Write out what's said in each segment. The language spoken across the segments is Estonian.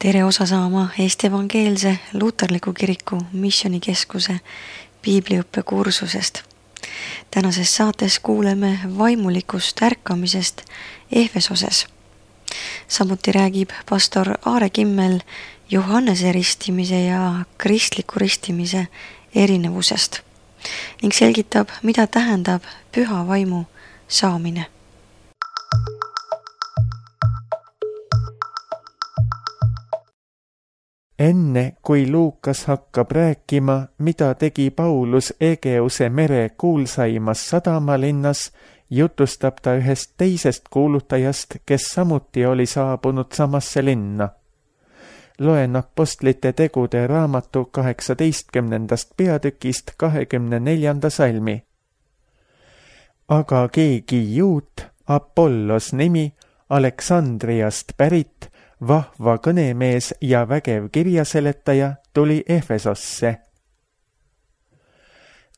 Tere osa saama Eesti Evangeelse Luterliku Kiriku Missioonikeskuse piibliõppe kursusest. Tänases saates kuuleme vaimulikust ärkamisest Efesoses. Samuti räägib pastor Aare Kimmel Johannese ristimise ja kristliku ristimise erinevusest ning selgitab, mida tähendab püha vaimu saamine. Enne kui Luukas hakkab rääkima, mida tegi Paulus Egeuse mere kuulsaimas sadamalinnas, jutustab ta ühest teisest kuulutajast, kes samuti oli saabunud samasse linna. Loen Apostlite tegude raamatu 18. peatükist 24. salmi. Aga keegi juut, Apollos nimi, Aleksandriast pärit, vahva kõnemees ja vägev kirjaseletaja tuli Efesosse.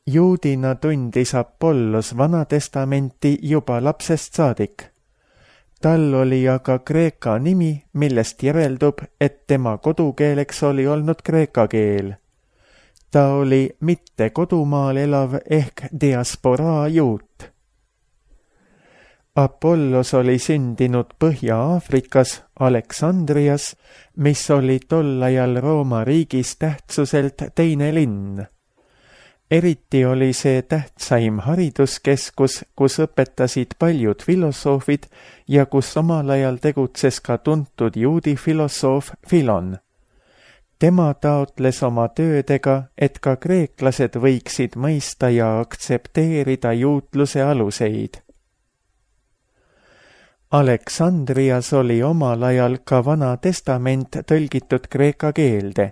Juudina tundis Apollos Vanatestamenti juba lapsest saadik. Tal oli aga kreeka nimi, millest järeldub, et tema kodukeeleks oli olnud kreeka keel. Ta oli mitte kodumaal elav ehk diasporaa juut. Apollos oli sündinud Põhja-Aafrikas Aleksandrias, mis oli tol ajal Rooma riigis tähtsuselt teine linn. Eriti oli see tähtsaim hariduskeskus, kus õpetasid paljud filosoofid ja kus omal ajal tegutses ka tuntud juudi filosoof Filon. Tema taotles oma töödega, et ka kreeklased võiksid mõista ja aktsepteerida juutluse aluseid. Aleksandrias oli omal ajal ka Vana Testament tõlgitud kreeka keelde.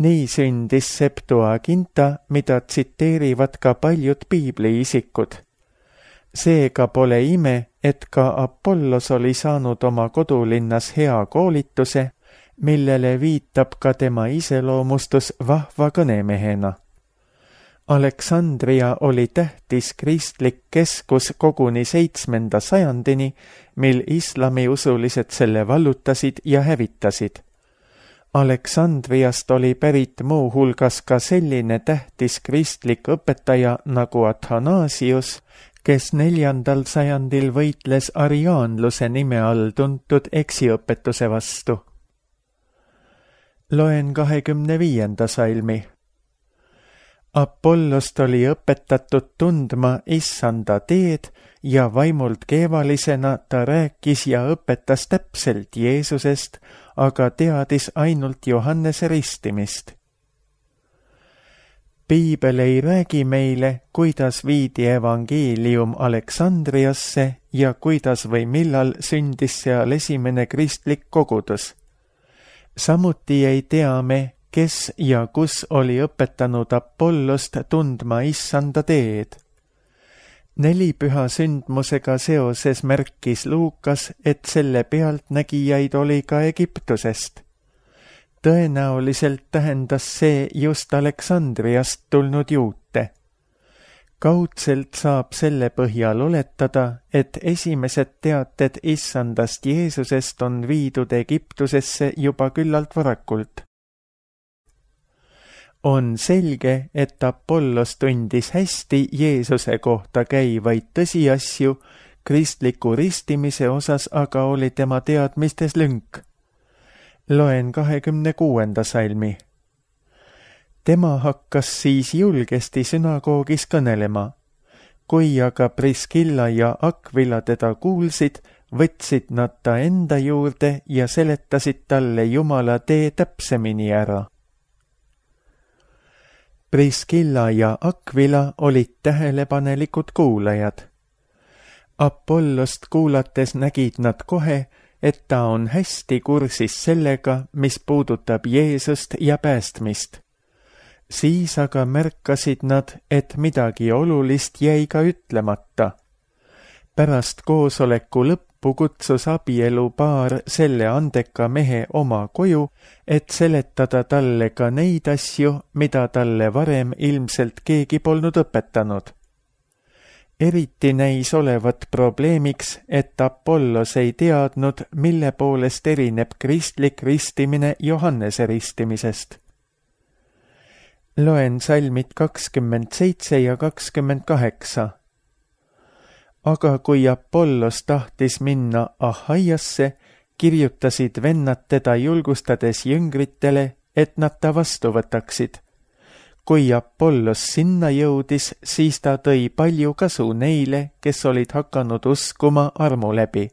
Nii sündis Septuaginta, mida tsiteerivad ka paljud piibliisikud. Seega pole ime, et ka Apollos oli saanud oma kodulinnas hea koolituse, millele viitab ka tema iseloomustus vahva kõnemehena. Aleksandria oli tähtis kristlik keskus koguni 7. sajandini, mil islamiusulised selle vallutasid ja hävitasid. Aleksandriast oli pärit muu hulgas ka selline tähtis kristlik õpetaja nagu Athanasius, kes 4. sajandil võitles ariaanluse nime all tuntud eksiõpetuse vastu. Loen 25. salmi. Apollost oli õpetatud tundma issanda teed ja vaimult keevalisena ta rääkis ja õpetas täpselt Jeesusest, aga teadis ainult Johannese ristimist. Piibel ei räägi meile, kuidas viidi evangeelium Aleksandriasse ja kuidas või millal sündis seal esimene kristlik kogudus. Samuti ei tea me, kes ja kus oli õpetanud Apollost tundma issanda teed. 4 püha sündmusega seoses märkis Luukas, et selle pealtnägijaid oli ka Egiptusest. Tõenäoliselt tähendas see just Aleksandriast tulnud juute. Kaudselt saab selle põhjal oletada, et esimesed teated issandast Jeesusest on viidud Egiptusesse juba küllalt varakult. On selge, et Apollos tundis hästi Jeesuse kohta käivaid tõsiasju, kristliku ristimise osas aga oli tema teadmistes lünk. Loen 26. salmi. Tema hakkas siis julgesti sünagoogis kõnelema. Kui aga Priskilla ja Akvila teda kuulsid, võtsid nad ta enda juurde ja seletasid talle Jumala tee täpsemini ära. Priskilla ja Akvila olid tähelepanelikud kuulajad. Apollost kuulates nägid nad kohe, et ta on hästi kursis sellega, mis puudutab Jeesust ja päästmist. Siis aga märkasid nad, et midagi olulist jäi ka ütlemata. Pärast koosoleku lõppu kutsus abielupaar selle andeka mehe oma koju, et seletada talle ka neid asju, mida talle varem ilmselt keegi polnud õpetanud. eriti näis olevat probleemiks, et Apollos ei teadnud, mille poolest erineb kristlik ristimine Johannese ristimisest. Loen salmid 27 ja 28. Aga kui Apollos tahtis minna Ahaiasse, kirjutasid vennad teda julgustades jüngritele, et nad ta vastu võtaksid. Kui Apollos sinna jõudis, siis ta tõi palju kasu neile, kes olid hakanud uskuma armu läbi,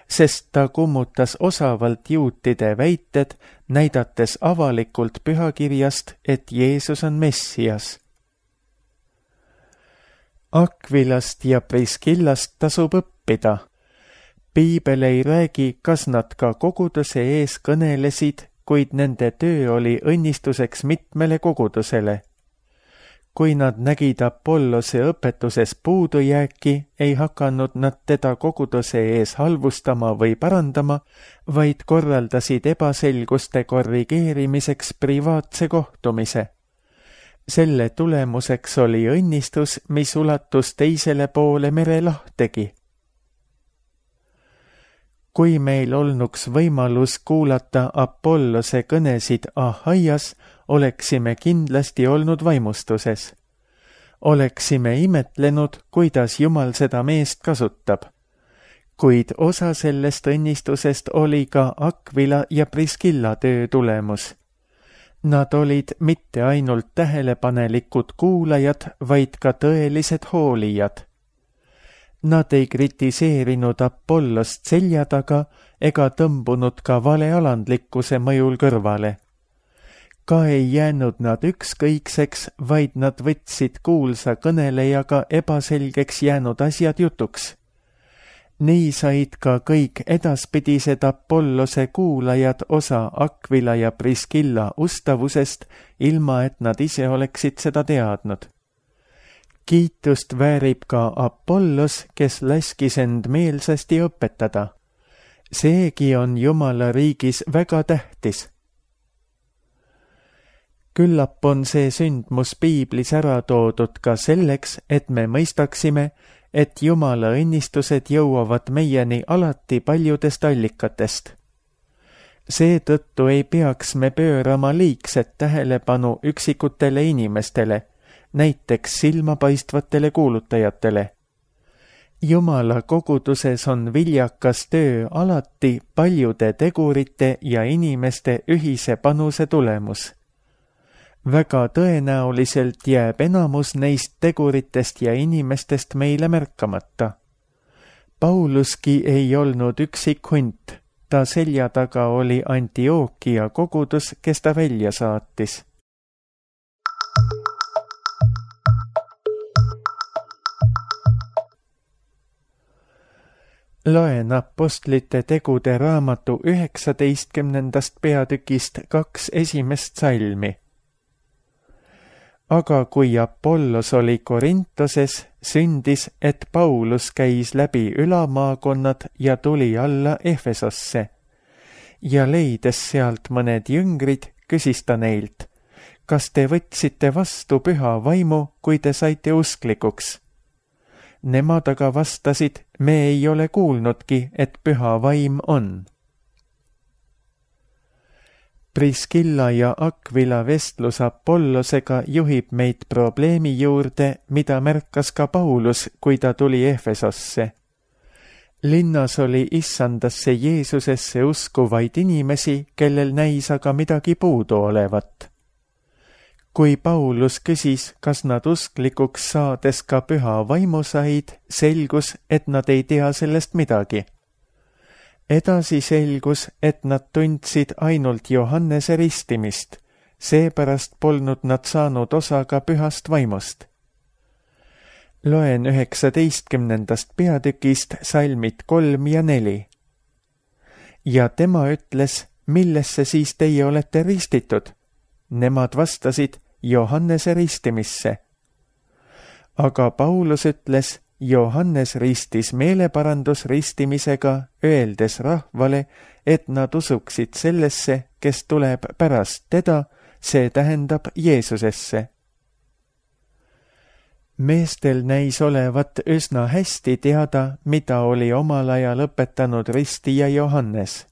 sest ta kummutas osavalt juutide väited, näidates avalikult pühakirjast, et Jeesus on Messias. Akvilast ja Priskillast tasub õppida. Piibel ei räägi, kas nad ka koguduse ees kõnelesid, kuid nende töö oli õnnistuseks mitmele kogudusele. Kui nad nägid Apollose õpetuses puudujääki, ei hakanud nad teda koguduse ees halvustama või parandama, vaid korraldasid ebaselguste korrigeerimiseks privaatse kohtumise. Selle tulemuseks oli õnnistus, mis ulatus teisele poole merelahtegi. Kui meil olnuks võimalus kuulata Apollose kõnesid Ahaias, oleksime kindlasti olnud vaimustuses. Oleksime imetlenud, kuidas Jumal seda meest kasutab. Kuid osa sellest õnnistusest oli ka Akvila ja Priskilla töö tulemus. Nad olid mitte ainult tähelepanelikud kuulajad, vaid ka tõelised hoolijad. Nad ei kritiseerinud Apollost selja taga ega tõmbunud ka valealandlikkuse mõjul kõrvale. Ka ei jäänud nad ükskõikseks, vaid nad võtsid kuulsa kõnelejaga ebaselgeks jäänud asjad jutuks. Nii said ka kõik edaspidised Apollose kuulajad osa Akvila ja Priskilla ustavusest, ilma et nad ise oleksid seda teadnud. Kiitust väärib ka Apollos, kes laskis end meelsasti õpetada. Seegi on Jumala riigis väga tähtis. Küllap on see sündmus piiblis ära toodud ka selleks, et me mõistaksime, et Jumala õnnistused jõuavad meieni alati paljudest allikatest. Seetõttu ei peaks me pöörama liigset tähelepanu üksikutele inimestele, näiteks silmapaistvatele kuulutajatele. Jumala koguduses on viljakas töö alati paljude tegurite ja inimeste ühise panuse tulemus. Väga tõenäoliselt jääb enamus neist teguritest ja inimestest meile märkamata. Pauluski ei olnud üksik hunt, ta selja taga oli Antiookia kogudus, kes ta välja saatis. Loen Apostlite tegude raamatu 19. peatükist 2 esimest salmi. Aga kui Apollos oli Korintoses, sündis, et Paulus käis läbi ülamaakonnad ja tuli alla Efesosse. Ja leides sealt mõned jüngrid, küsis ta neilt, kas te võtsite vastu püha vaimu, kui te saite usklikuks? Nemad aga vastasid, me ei ole kuulnudki, et püha vaim on. Priskilla ja Akvila vestlus Apollosega juhib meid probleemi juurde, mida märkas ka Paulus, kui ta tuli Efesosse. Linnas oli issandasse Jeesusesse uskuvaid inimesi, kellel näis aga midagi puudu olevat. Kui Paulus küsis, kas nad usklikuks saades ka püha vaimu said, selgus, et nad ei tea sellest midagi. Edasi selgus, et nad tundsid ainult Johannese ristimist, seepärast polnud nad saanud osa ka pühast vaimust. Loen 19. peatükist salmid 3 ja 4. Ja tema ütles, millesse siis teie olete ristitud? Nemad vastasid, Johannese ristimisse. Aga Paulus ütles, Johannes ristis meeleparandusristimisega, öeldes rahvale, et nad usuksid sellesse, kes tuleb pärast teda, see tähendab Jeesusesse. Meestel näis olevat üsna hästi teada, mida oli omal ajal õpetanud ristija Johannes.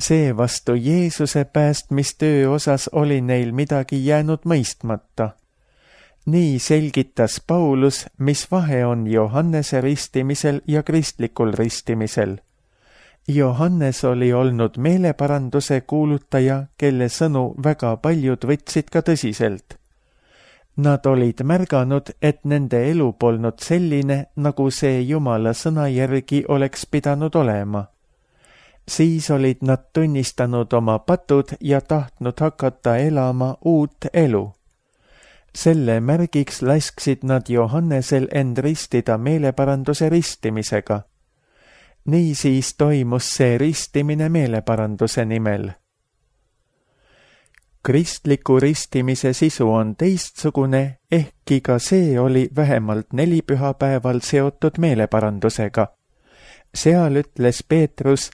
Seevastu Jeesuse päästmistöö osas oli neil midagi jäänud mõistmata. Nii selgitas Paulus, mis vahe on Johannese ristimisel ja kristlikul ristimisel. Johannes oli olnud meeleparanduse kuulutaja, kelle sõnu väga paljud võtsid ka tõsiselt. Nad olid märganud, et nende elu polnud selline, nagu see Jumala sõna järgi oleks pidanud olema. Siis olid nad tunnistanud oma patud ja tahtnud hakata elama uut elu. Selle märgiks lasksid nad Johannesel end ristida meeleparanduse ristimisega. Niisiis toimus see ristimine meeleparanduse nimel. Kristliku ristimise sisu on teistsugune, ehkki ka see oli vähemalt 4 pühapäeval seotud meeleparandusega. Seal ütles Peetrus,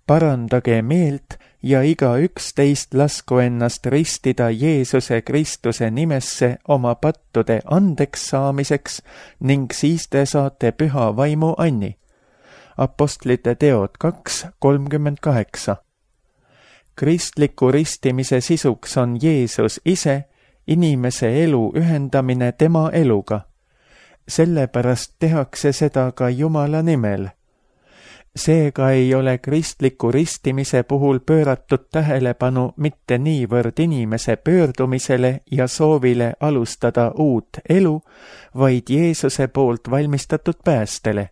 parandage meelt ja igaüks teist lasku ennast ristida Jeesuse Kristuse nimesse oma pattude andeks saamiseks ning siis te saate püha vaimu anni. Apostlite teod 2:38. Kristliku ristimise sisuks on Jeesus ise, inimese elu ühendamine tema eluga. Sellepärast tehakse seda ka Jumala nimel. Seega ei ole kristliku ristimise puhul pööratud tähelepanu mitte niivõrd inimese pöördumisele ja soovile alustada uut elu, vaid Jeesuse poolt valmistatud päästele.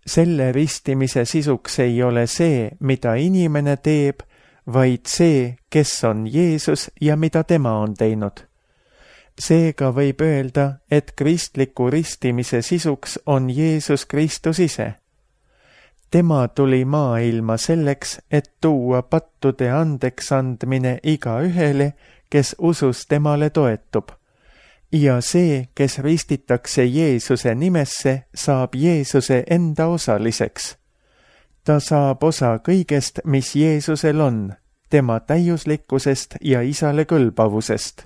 Selle ristimise sisuks ei ole see, mida inimene teeb, vaid see, kes on Jeesus ja mida tema on teinud. Seega võib öelda, et kristliku ristimise sisuks on Jeesus Kristus ise. Tema tuli maailma selleks, et tuua pattude andeks andmine igaühele, kes usus temale toetub. Ja see, kes ristitakse Jeesuse nimesse, saab Jeesuse enda osaliseks. Ta saab osa kõigest, mis Jeesusel on, tema täiuslikkusest ja isale kõlbavusest.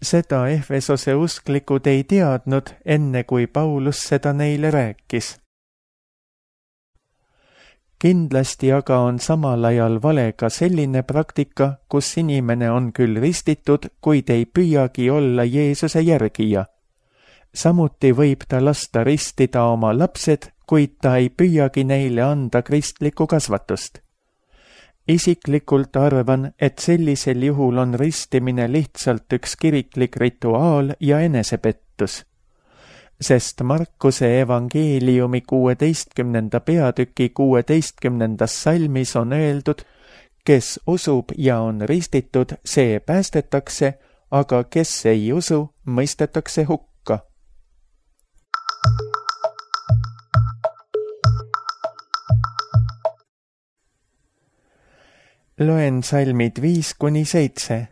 Seda Efesose usklikud ei teadnud, enne kui Paulus seda neile rääkis. Kindlasti aga on samal ajal vale ka selline praktika, kus inimene on küll ristitud, kuid ei püüagi olla Jeesuse järgija. Samuti võib ta lasta ristida oma lapsed, kuid ta ei püüagi neile anda kristlikku kasvatust. Isiklikult arvan, et sellisel juhul on ristimine lihtsalt üks kiriklik rituaal ja enesepettus. Sest Markuse evangeeliumi 16. peatüki 16. salmis on öeldud, kes usub ja on ristitud, see päästetakse, aga kes ei usu, mõistetakse hukka. Loen salmid 5-7.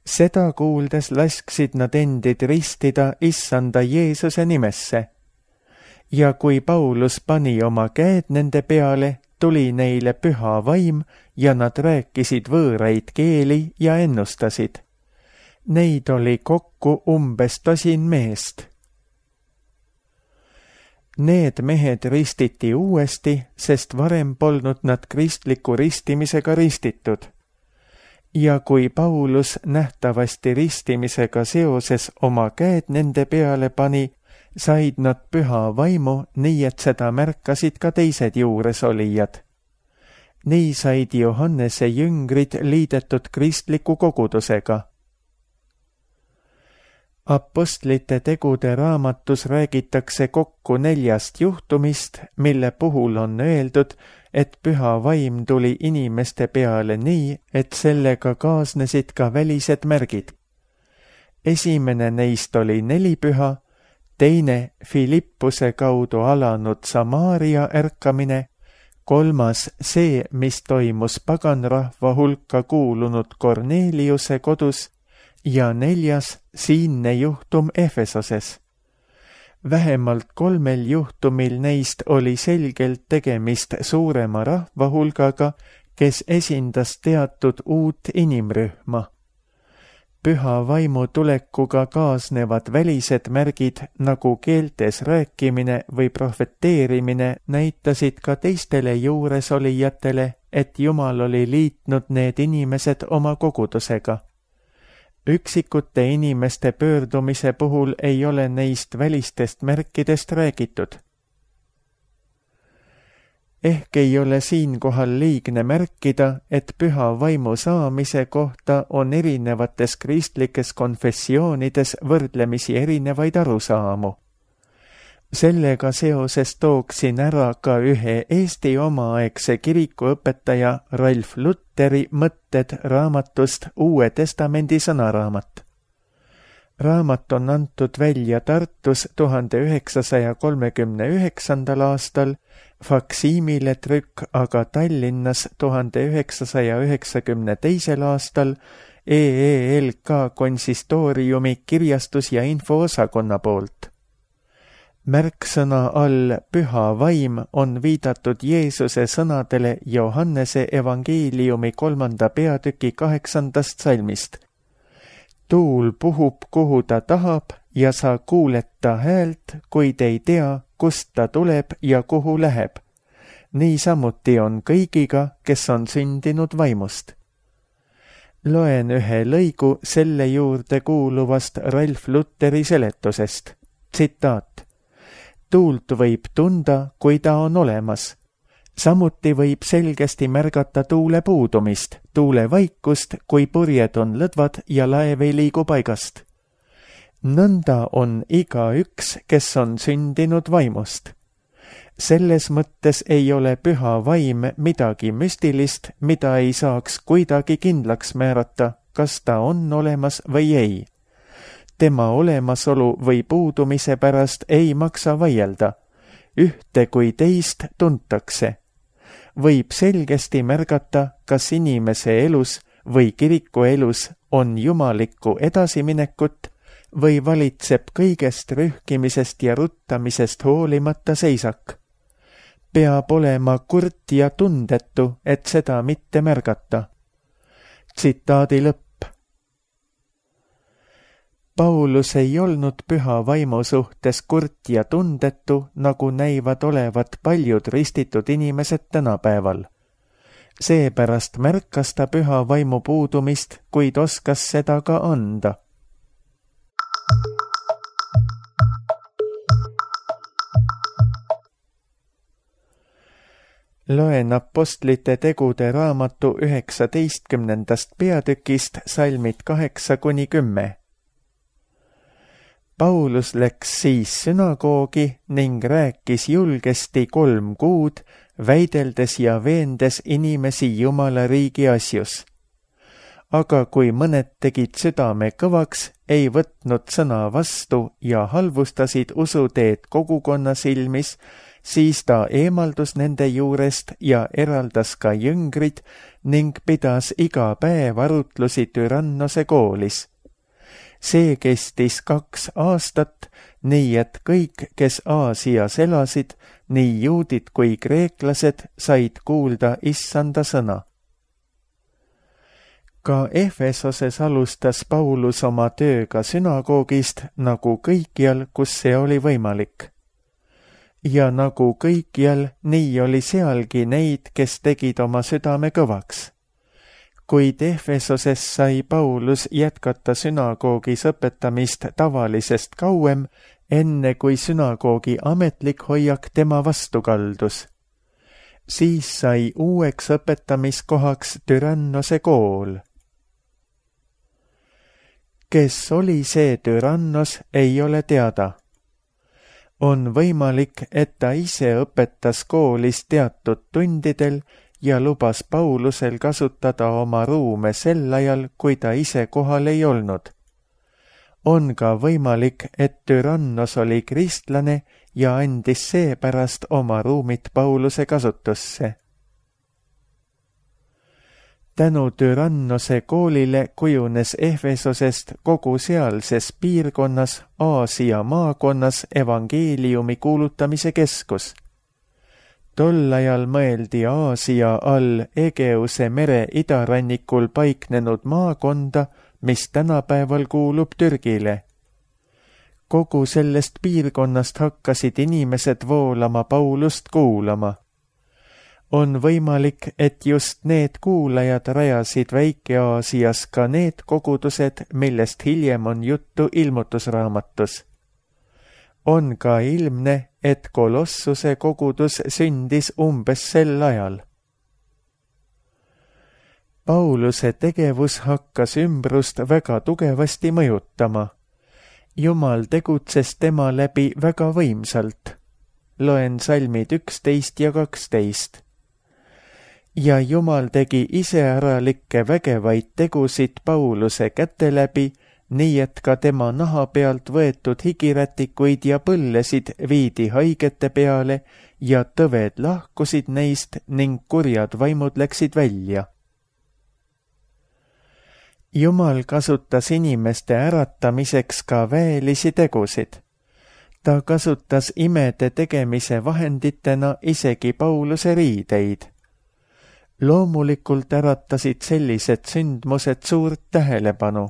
Seda kuuldes lasksid nad endid ristida issanda Jeesuse nimesse. Ja kui Paulus pani oma käed nende peale, tuli neile püha vaim ja nad rääkisid võõraid keeli ja ennustasid. Neid oli kokku umbes 10 meest. Need mehed ristiti uuesti, sest varem polnud nad kristliku ristimisega ristitud. Ja kui Paulus nähtavasti ristimisega seoses oma käed nende peale pani, said nad püha vaimu, nii et seda märkasid ka teised juuresolijad. Nii said Johannese jüngrid liidetud kristliku kogudusega. Apostlite tegude raamatus räägitakse kokku 4 juhtumist, mille puhul on öeldud, et püha vaim tuli inimeste peale nii, et sellega kaasnesid ka välised märgid. Esimene neist oli 4 püha, teine Filippuse kaudu alanud Samaaria ärkamine, 3. see, mis toimus paganrahva hulka kuulunud Korneliuse kodus ja 4. siinne juhtum Efesoses. Vähemalt 3 juhtumil neist oli selgelt tegemist suurema rahvahulgaga, kes esindas teatud uut inimrühma. Püha vaimu tulekuga kaasnevad välised märgid nagu keeltes rääkimine või profeteerimine näitasid ka teistele juuresolijatele, et Jumal oli liitnud need inimesed oma kogudusega. Üksikute inimeste pöördumise puhul ei ole neist välistest märkidest räägitud. Ehk ei ole siinkohal liigne märkida, et püha vaimu saamise kohta on erinevates kristlikes konfessioonides võrdlemisi erinevaid arusaamu. Sellega seoses tooksin ära ka ühe Eesti omaaegse kirikuõpetaja Ralf Lutteri mõtted raamatust Uue Testamendi sõnaraamat. Raamat on antud välja Tartus 1939. aastal, faksiimile trükk aga Tallinnas 1992. aastal EELK konsistooriumi kirjastus- ja infoosakonna poolt. Märksõna all püha vaim on viidatud Jeesuse sõnadele Johannese evangeeliumi 3. peatüki 8. salmist. Tuul puhub, kuhu ta tahab, ja sa kuuled ta häält, kuid ei tea, kust ta tuleb ja kuhu läheb. Niisamuti on kõigiga, kes on sündinud vaimust. Loen ühe lõigu selle juurde kuuluvast Ralf Lutteri seletusest. Tsitaat. Tuult võib tunda, kui ta on olemas. Samuti võib selgesti märgata tuule puudumist, tuule vaikust, kui purjed on lõdvad ja laev ei liigu paigast. Nõnda on igaüks, kes on sündinud vaimust. Selles mõttes ei ole püha vaim midagi müstilist, mida ei saaks kuidagi kindlaks määrata, kas ta on olemas või ei. Tema olemasolu või puudumise pärast ei maksa vaielda. Ühte kui teist tuntakse. Võib selgesti märgata, kas inimese elus või kiriku elus on jumalikku edasiminekut või valitseb kõigest rühkimisest ja ruttamisest hoolimata seisak. Peab olema kurt ja tundetu, et seda mitte märgata. Tsitaadi lõpp. Paulus ei olnud püha vaimu suhtes kurt ja tundetu, nagu näivad olevat paljud ristitud inimesed tänapäeval. Seepärast märkas ta püha vaimu puudumist, kuid oskas seda ka anda. Loen Apostlite tegude raamatu 19. peatükist salmid 8-10. Paulus läks siis sünagoogi ning rääkis julgesti 3 kuud, väideldes ja veendes inimesi Jumala riigi asjus. Aga kui mõned tegid südame kõvaks, ei võtnud sõna vastu ja halvustasid usuteed kogukonna silmis, siis ta eemaldus nende juurest ja eraldas ka jüngrid ning pidas iga päev arutlusi Tyrannose koolis. See kestis 2 aastat, nii et kõik, kes Aasias elasid, nii juudid kui kreeklased, said kuulda issanda sõna. Ka Efesoses alustas Paulus oma tööga sünagoogist nagu kõikjal, kus see oli võimalik. Ja nagu kõikjal, nii oli sealgi neid, kes tegid oma südame kõvaks. Kuid Efesoses sai Paulus jätkata sünagoogis õpetamist tavalisest kauem, enne kui sünagoogi ametlik hoiak tema vastu kaldus. Siis sai uueks õpetamiskohaks Tyrannose kool. Kes oli see Tyrannos, ei ole teada. On võimalik, et ta ise õpetas koolis teatud tundidel ja lubas Paulusel kasutada oma ruume sel ajal, kui ta ise kohal ei olnud. On ka võimalik, et Tyrannos oli kristlane ja andis seepärast oma ruumid Pauluse kasutusse. Tänu Tyrannose koolile kujunes Efesosest kogu sealses piirkonnas, Aasia maakonnas evangeeliumi kuulutamise keskus. Tol ajal mõeldi Aasia all Egeuse mere idarannikul paiknenud maakonda, mis tänapäeval kuulub Türgile. Kogu sellest piirkonnast hakkasid inimesed voolama Paulust kuulama. On võimalik, et just need kuulajad rajasid Väike-Aasias ka need kogudused, millest hiljem on juttu Ilmutusraamatus. On ka ilmne, et Kolossuse kogudus sündis umbes sel ajal. Pauluse tegevus hakkas ümbrust väga tugevasti mõjutama. Jumal tegutses tema läbi väga võimsalt. Loen salmid 11 ja 12. Ja Jumal tegi iseäralikke vägevaid tegusid Pauluse käte läbi, nii et ka tema naha pealt võetud higirätikuid ja põllesid viidi haigete peale ja tõved lahkusid neist ning kurjad vaimud läksid välja. Jumal kasutas inimeste äratamiseks ka väelisi tegusid. Ta kasutas imede tegemise vahenditena isegi Pauluse riideid. Loomulikult äratasid sellised sündmused suurt tähelepanu.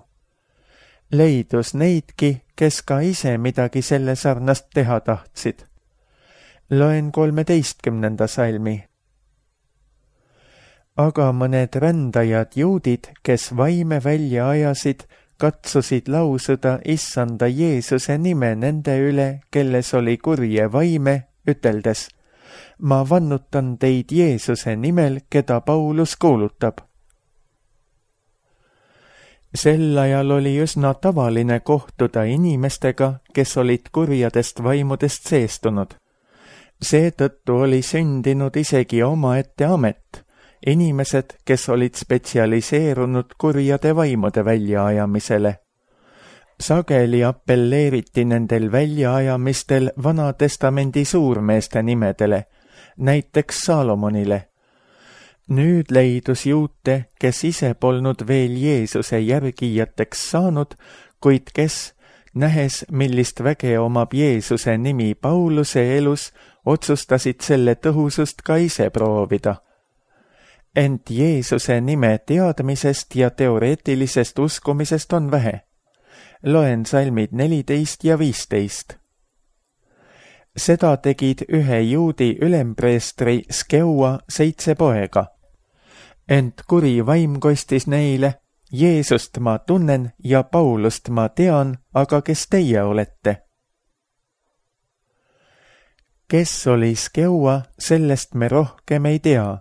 Leidus neidki, kes ka ise midagi selle sarnast teha tahtsid. Loen 13. salmi. Aga mõned rändajad juudid, kes vaime välja ajasid, katsusid lausuda Issanda Jeesuse nime nende üle, kelles oli kurje vaime, üteldes: ma vannutan teid Jeesuse nimel, keda Paulus kuulutab. Sel ajal oli üsna tavaline kohtuda inimestega, kes olid kurjadest vaimudest seestunud. Seetõttu oli sündinud isegi omaette amet, inimesed, kes olid spetsialiseerunud kurjade vaimude väljaajamisele. Sageli appelleeriti nendel väljaajamistel Vana-testamendi suurmeeste nimedele, näiteks Saalomonile. Nüüd leidus juute, kes ise polnud veel Jeesuse järgijateks saanud, kuid kes, nähes, millist väge omab Jeesuse nimi Pauluse elus, otsustasid selle tõhusust ka ise proovida. Ent Jeesuse nime teadmisest ja teoreetilisest uskumisest on vähe. Loen salmid 14 ja 15. Seda tegid ühe juudi ülempreestri Skeua 7 poega. Ent kuri vaim kostis neile: Jeesust ma tunnen ja Paulust ma tean, aga kes teie olete? Kes oli Skeua, sellest me rohkem ei tea.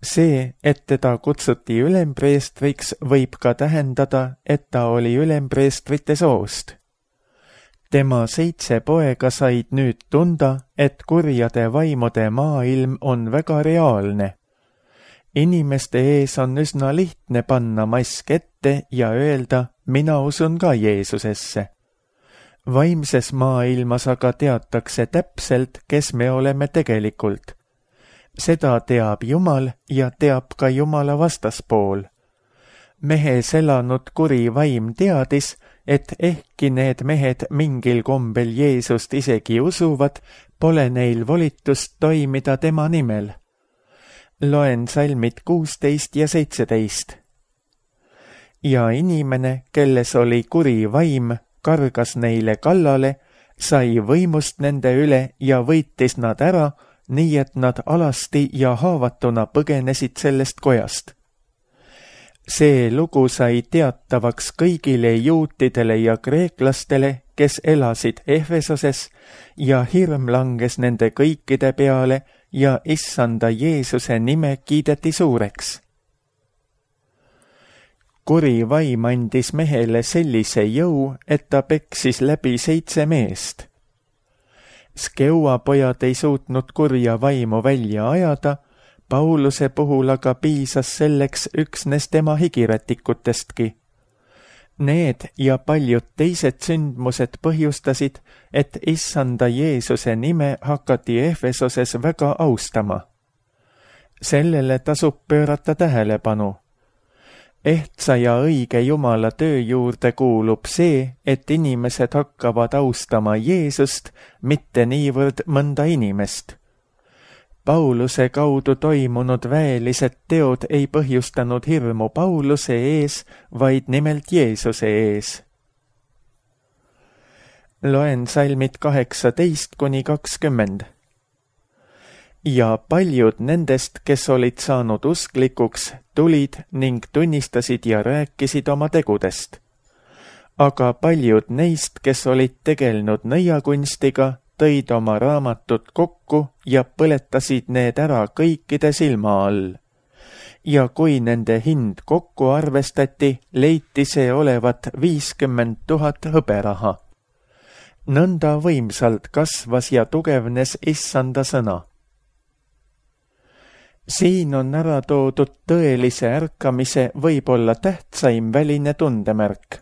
See, et teda kutsuti ülempreestriks, võib ka tähendada, et ta oli ülempreestrite soost. Tema 7 poega said nüüd tunda, et kurjade vaimude maailm on väga reaalne. Inimeste ees on üsna lihtne panna mask ette ja öelda: mina usun ka Jeesusesse. Vaimses maailmas aga teatakse täpselt, kes me oleme tegelikult. Seda teab Jumal ja teab ka Jumala vastaspool. Mehes elanud kuri vaim teadis, et ehkki need mehed mingil kombel Jeesust isegi usuvad, pole neil volitust toimida tema nimel. Loen salmid 16 ja 17. Ja inimene, kelles oli kuri vaim, kargas neile kallale, sai võimust nende üle ja võitis nad ära, nii et nad alasti ja haavatuna põgenesid sellest kojast. See lugu sai teatavaks kõigile juutidele ja kreeklastele, kes elasid Efesoses, ja hirm langes nende kõikide peale ja Issanda Jeesuse nime kiideti suureks. Kuri vaim andis mehele sellise jõu, et ta peksis läbi 7 meest. Skeua pojad ei suutnud kurja vaimu välja ajada, Pauluse puhul aga piisas selleks üksnes tema higirätikutestki. Need ja paljud teised sündmused põhjustasid, et Issanda Jeesuse nime hakati Efesoses väga austama. Sellele tasub pöörata tähelepanu. Ehtsa ja õige Jumala töö juurde kuulub see, et inimesed hakkavad austama Jeesust, mitte niivõrd mõnda inimest. Pauluse kaudu toimunud väelised teod ei põhjustanud hirmu Pauluse ees, vaid nimelt Jeesuse ees. Loen salmid 18-20. Ja paljud nendest, kes olid saanud usklikuks, tulid ning tunnistasid ja rääkisid oma tegudest. Aga paljud neist, kes olid tegelenud nõiakunstiga, tõid oma raamatud kokku ja põletasid need ära kõikide silma all. Ja kui nende hind kokku arvestati, leiti see olevat 50 000 hõberaha. Nõnda võimsalt kasvas ja tugevnes Issanda sõna. Siin on ära toodud tõelise ärkamise võib-olla tähtsaim väline tundemärk.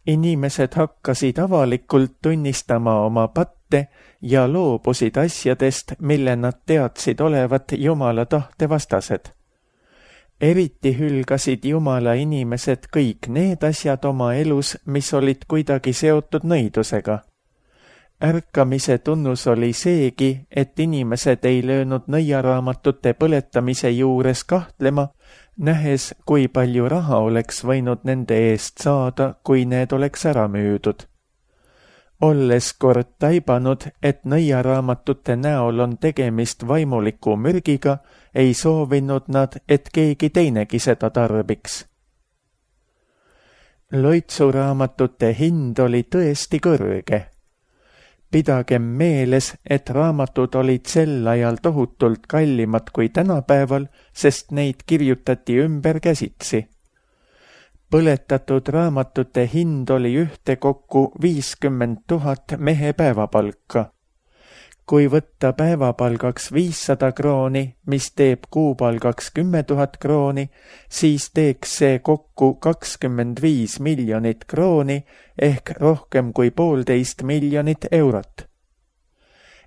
Inimesed hakkasid avalikult tunnistama oma patte ja loobusid asjadest, mille nad teadsid olevat Jumala tahte vastased. Eriti hülgasid Jumala inimesed kõik need asjad oma elus, mis olid kuidagi seotud nõidusega. Ärkamise tunnus oli seegi, et inimesed ei löönud nõiaraamatute põletamise juures kahtlema, nähes, kui palju raha oleks võinud nende eest saada, kui need oleks ära müüdud. Olles kord taibanud, et nõiaraamatute näol on tegemist vaimuliku mürgiga, ei soovinud nad, et keegi teinegi seda tarbiks. Loitsuraamatute hind oli tõesti kõrge. Pidagem meeles, et raamatud olid sel ajal tohutult kallimad kui tänapäeval, sest neid kirjutati ümber käsitsi. Põletatud raamatute hind oli ühtekokku 50 000 mehe päevapalka. Kui võtta päevapalgaks 500 krooni, mis teeb kuupalgaks 10 000 krooni, siis teeks see kokku 25 miljonit krooni ehk rohkem kui 1,5 miljonit eurot.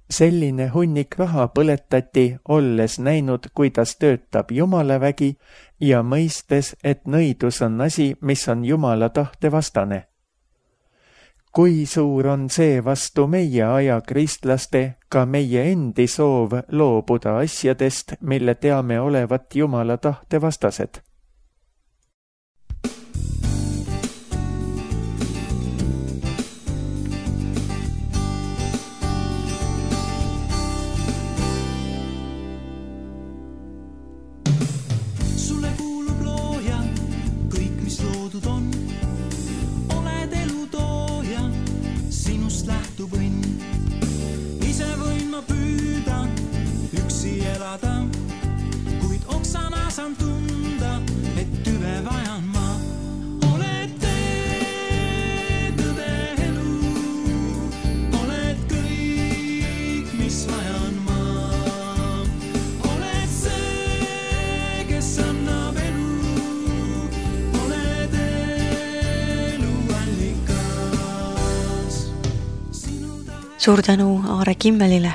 Selline hunnik raha põletati, olles näinud, kuidas töötab Jumala vägi ja mõistes, et nõidus on asi, mis on Jumala tahte vastane. Kui suur on see vastu meie aja kristlaste, ka meie endi soov loobuda asjadest, mille teame olevat Jumala tahte vastased? Sulle kuulub looja, kõik mis loodud on. Oled elu tooja, sinust lähtub õnn. Ise võin ma püüda, üksi elada, kuid oksana saan tunda, et tüve vajan ma. Oled tee, tõde elu, oled kõik, mis vajan ma. Oled see, kes annab elu, oled elu allikas. Suur tänu Aare Kimmelile.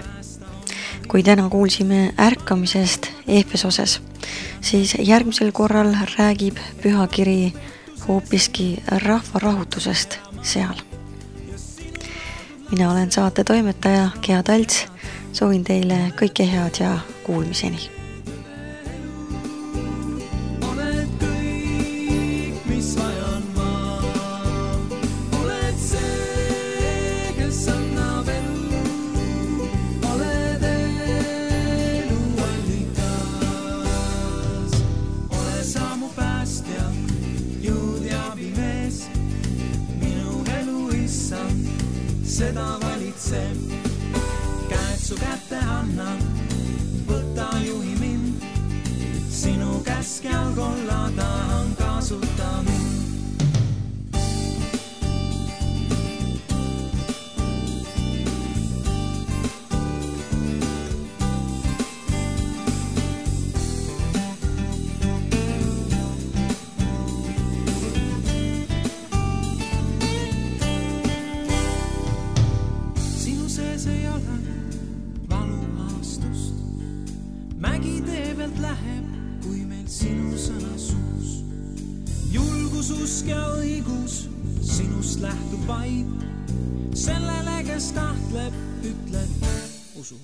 Kui täna kuulsime ärkamisest Efesoses, siis järgmisel korral räägib pühakiri hoopiski rahvarahutusest seal. Mina olen saate toimetaja Gea Talts, soovin teile kõike head ja kuulmiseni. Oled kõik, mis vajan ma. Oled see, kes annab elu, oled elu allikas. Ole sa mu päästja, jõud ja abimees, minu elu issand, seda valitseb. Käed su kätte annan, võta juhi mind, sinu käskjal kolla tahan kasuta mind. Sinu sees ei ole valuhaastust, mägi tee pealt läheb, kui meil sinu sõna suus. Julgus, usk ja õigus sinust lähtub vaid, sellele, kes kahtleb, ütleb usu.